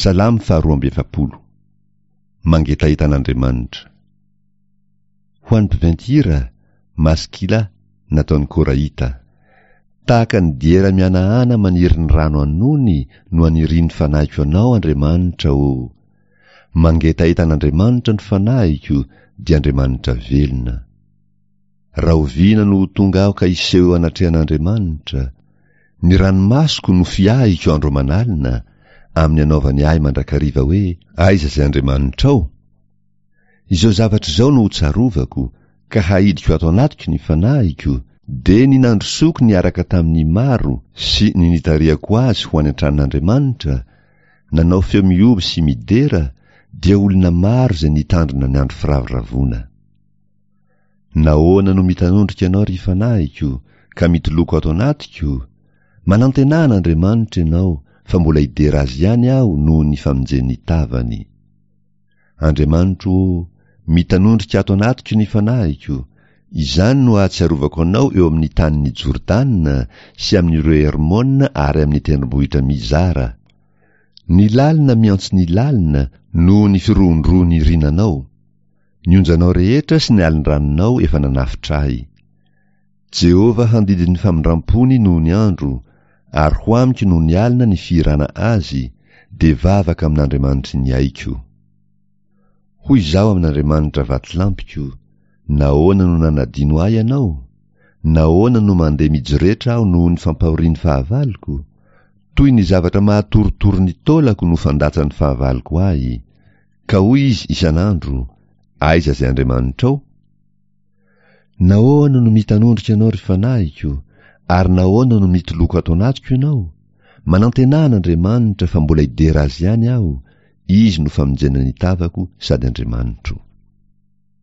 Salamo faharoa amby efapolo. Mangetaheta an'Andriamanitra. Ho an'ny mpiventy hira, Maskila, nataon'i Korahita. Tahaka ny diera mihanahana maniry ny rano an'ony no anirian'ny fanahiko Anao, Andriamanitra ô! Mangetaheta an'Andriamanitra ny fanahiko, dia Andriamanitra velona. Rahoviana no ho tonga aho ka hiseho eo anatrehan'Andriamanitra? Ny ranomasoko no fiahiko andro aman'alina, amin'ny anaovany ahy mandrakariva hoe, Aiza izay Andriamanitrao? Izao zavatra izao no hotsarovako, ka haidiko ato anatiko ny fanahiko, dia ny nandrosoako niaraka tamin'ny maro sy ny nitarihako azy ho any an-tranon'Andriamanitra, nanao feo mihoby sy midera, dia olona maro izay nitandrina ny andro firavoravoana. Nahoana no mitanondrika ianao, ry fanahiko, ka mitoloko ato anatiko? Manantenà an'Andriamanitra ianao, fa mbola hidera Azy ihany aho noho ny famonjen'ny tavany. Andriamanitro ô, mitanondrika ato anatiko ny fanahiko, izany no ahatsiarovako Anao eo amin'ny tanin'i Jordana sy amin'ireo Hermona ary amin'ny tendrombohitra Mizara. Ny lalina miantso ny lalina noho ny firohondrohon'ny rinanao. Ny onjanao rehetra sy ny alin-dranonao efa nanafotra ahy. Jehovah handidy ny famindram-pony noho ny andro, ary ho amiko noho ny alina ny fihirana azy, dia vavaka amin'Andriamanitry ny aiko. Hoy izaho amin'Andriamanitra vatolampiko, Nahoana no nanadino ahy Ianao? Nahoana no mandeha mijoretra aho noho ny fampahorian'ny fahavaloko? Toy ny zavatra mahatorotoro ny taolako no fandatsan'ny fahavaloko ahy. Ka hoy izy isan'andro, Aiza izay Andriamanitrao? Nahoana no mitanondrika ianao, ry fanahiko, ary nahoana no mitoloko ato anatiko ianao? Manantenà an'Andriamanitra fa mbola hidera Azy ihany aho, Izy no famonjena ny tavako sady Andriamanitro.